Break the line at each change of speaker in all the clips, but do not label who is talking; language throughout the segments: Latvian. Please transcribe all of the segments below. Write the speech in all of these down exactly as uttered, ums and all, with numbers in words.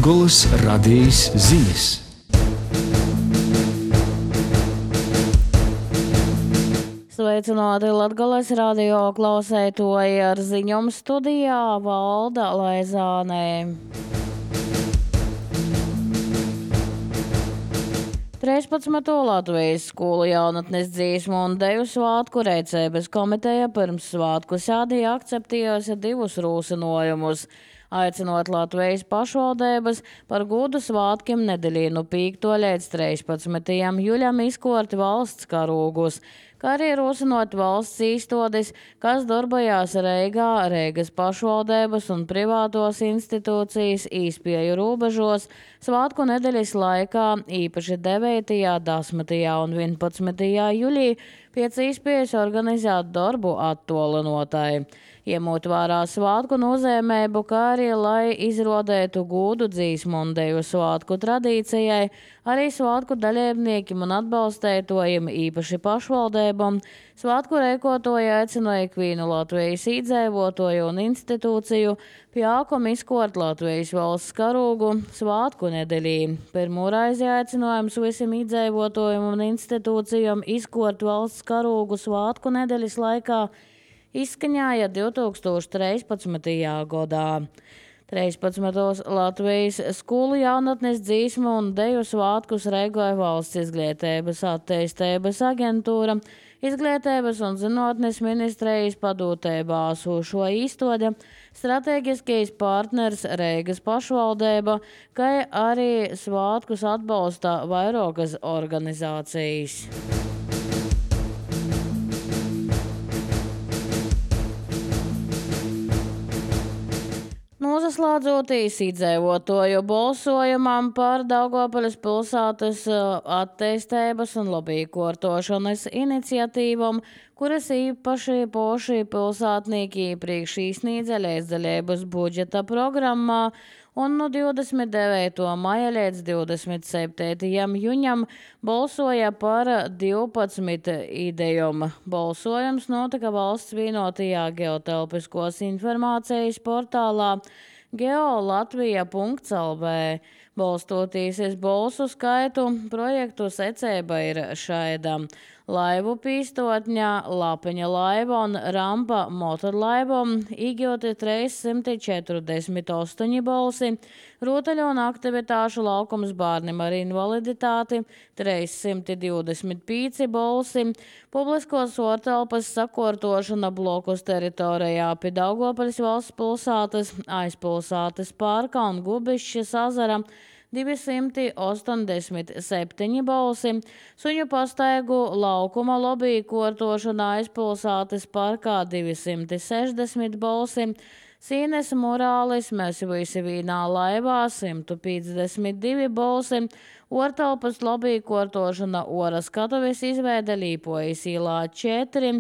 Latgolas radijas ziņas.
Sveicināti Latgolas radio klausētoji, ar ziņom studijā Valda Laizānē. trīspadsmito Latvijas skolu jaunatnes dzīsmu un deju svātku Reicēbes komiteja pirms svātku sēdīja akceptējusi divus rūsinojumus, aicinot Latvijas pašvaldības par godu svātkiem nedēļā no piekto līdz trīspadsmitajam jūļam izkorti valsts karūgus, kā arī rosinot valsts īstotis, kas darbojās Reigā, Reigas pašvaldības un privātos institūcijas īspēju robežos svātku nedēļas laikā, īpaši devītajā, desmitajā un vienpadsmitajā jūļī, pēc īspējas organizēt darbu attolinotai. Iemot vērā svātku nozīmību, kā arī lai izrodētu godu dzīsmu un deju svātku tradīcijai, arī svātku dalībniekiem un atbalstētojiem, īpaši pašvaldībām, svātku rēkotoja aicināja ikvienu Latvijas iedzīvotoju un institūciju pjākom izkort Latvijas valsts karūgu svātku nedēļī. Pirmo reizi aicinājums visiem iedzīvotojiem un institūcijām izkort valsts karūgu svātku nedēļas laikā izskaņāja divtūkstoš trīspadsmitajā gadā. trīspadsmitos Latvijas skolu jaunatnes dzīsmu un deju svātkus rēkoja Valsts izglītības attīstības aģentūra, Izglītības un zinātnes ministrijas padūtībā esošo īstode, strateģiskais partners Reigas pašvaldība, kā arī svātkus atbalsta vairākas organizācijas. Noslēdzotīs iedzīvotoju balsojumam par Daugavpils pilsētas attīstības un lobīkortošanas iniciatīvam, kuras īpaši poši pilsētnieki iepriekš izsniedza līdzdalības budžeta programmā, un no divdesmit devītā maija līdz divdesmit septītajam jūņam balsoja par divpadsmit idejām. Balsojums notika Valsts vienotajā geotelpiskos informācijas portālā geolatvija punkts el vē. Balstoties uz balsu skaitu, projektu secība ir šaida. Laivu pīstotņa, lapeņa laiva un rampa motorlaivam īgoti trīssimt četrdesmit astoņi balsi, rotaļu un aktivitāšu laukums bērniem ar invaliditāti trīssimt divdesmit pieci balsi, publiskos ortelpas sakortošana blokus teritorijā pie Daugavpils valsts pilsētas, aizpilsētas parka un Gubišķes ezera divsimt astoņdesmit septiņi balsi, suņu pastaigu laukuma lobīkortošana aizpilsētas parkā divsimt sešdesmit balsi, Sīnes murālis mēs visi vīnā laivā simt piecdesmit divi balsi, ortelpas lobīkortošana Oras skatuves izveide Līpojas ielā četri,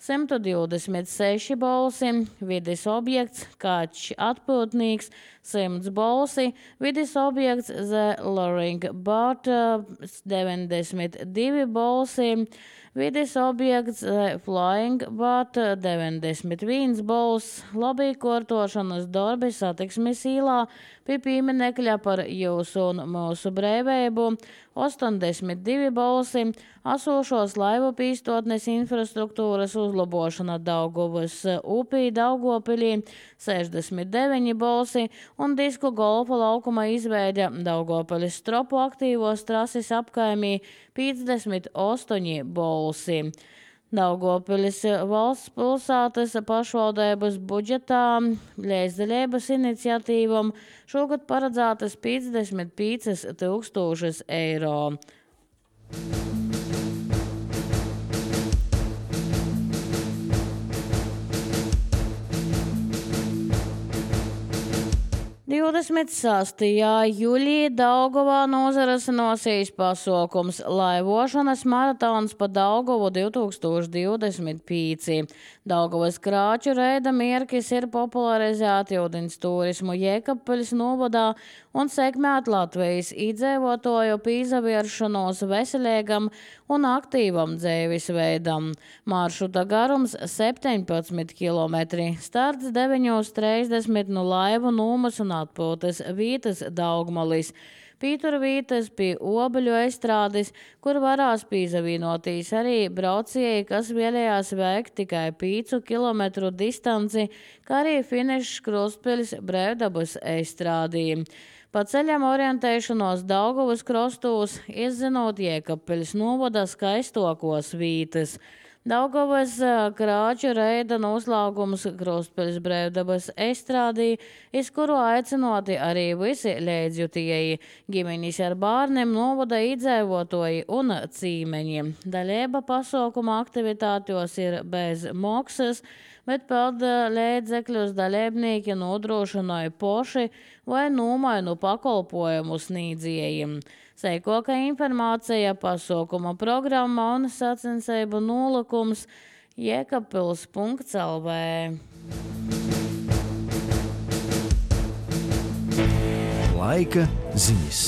simt divdesmit seši balsi, vides objekts Kačs atpūtnīgs simts balsi, vides objekts The Luring Boat deviņdesmit divi balsi, vides objekts The Flying Boat deviņdesmit viens balss, lobīkortošanas darbi satiksmes ielā pie pieminekļa par jūsu un mūsu brīvību astoņdesmit divi balsi, esošos laivu pīstotnes infrastruktūras uzlabošana Daugavas upī Daugavpilī sešdesmit deviņi balsi un disku golfa laukuma izveide Daugavpilis stropu aktīvos trases apkaimī piecdesmit astoņi balsi. Daugavpilis valsts pilsētas pašvaldības budžetā līdzdalības iniciatīvam šogad paredzētas piecdesmit pieci tūkstoši eiro. divdesmit sastajā jūļī Daugavā nozarasinosies pasaukums laivošanas maratons pa Daugavu divtūkstoš divdesmit pieci. Daugavas krāču reida mierkis ir popularizēti ūdens turismu Jēkabpeļas novadā un sekmēt Latvijas iedzīvotoju pīzavieršanos veselīgam un aktīvam dzīvesveidam. Maršruta garums septiņpadsmit kilometri, starts deviņos trīsdesmit no Laivu Nūmas un atpūtas vītas Daugmalis. Pītura vītas pie Obeļu estrādes, kur varās pīzavīnotīs arī braucēji, kas vēlējās veikt tikai pīcu kilometru distanci, kā arī finišs Krustpeļs Brēvdabas estrādī. Pa ceļam orientēšanos Daugavas krostūs, izzinot Jēkabpeļs novada skaistokos vītas. Daugavas Krāču reida noslēgums Krustpeļs Brēvdabas estrādī, iz kuru aicinoti arī visi līdzjutēji, ģimenis ar bārniem, novada iedzīvotāji un cīmeņi. Daļēba pasākuma aktivitātos ir bez maksas, bet pelda līdzekļus dalībnieki nodrošināja poši vai nomainu pakalpojumu sniedzējiem. Seikoka informācija, pasākuma programma un sacensību nolūkums jēkabpils punkts el vē.
Laika ziņas.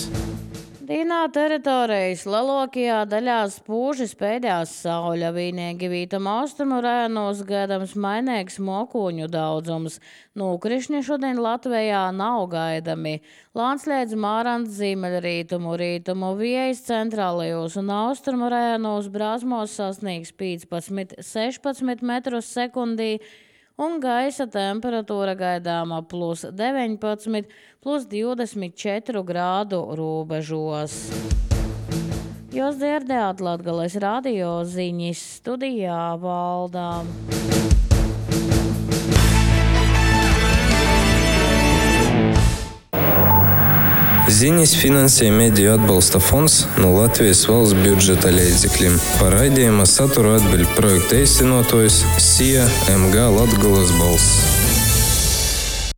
Dīnā teritorijas lielākajā daļā spūži spēļās sauļa, vienīgi vītam austrumu rajonos gaidams mainīgs mokuņu daudzums. Nūkrišņi šodien Latvijā nav gaidami. Lānslēdz Mārants ziemeļrītumu rītumu viejas centrālajos un austrumu rajonos Brāzmos sasniegs piecpadsmit sešpadsmit metrus sekundī, un gaisa temperatūra gaidāma plus deviņpadsmit, plus divdesmit četri grādu robežos. Jūs dzirdējāt Latgales radio ziņas, studijā Valdā.
Ziņas finansē Mediju atbalsta fonds no Latvijas valsts budžeta līdzekļiem. Par raidījuma saturu atbild projekta īstenotājs S I A M G Latgales balss.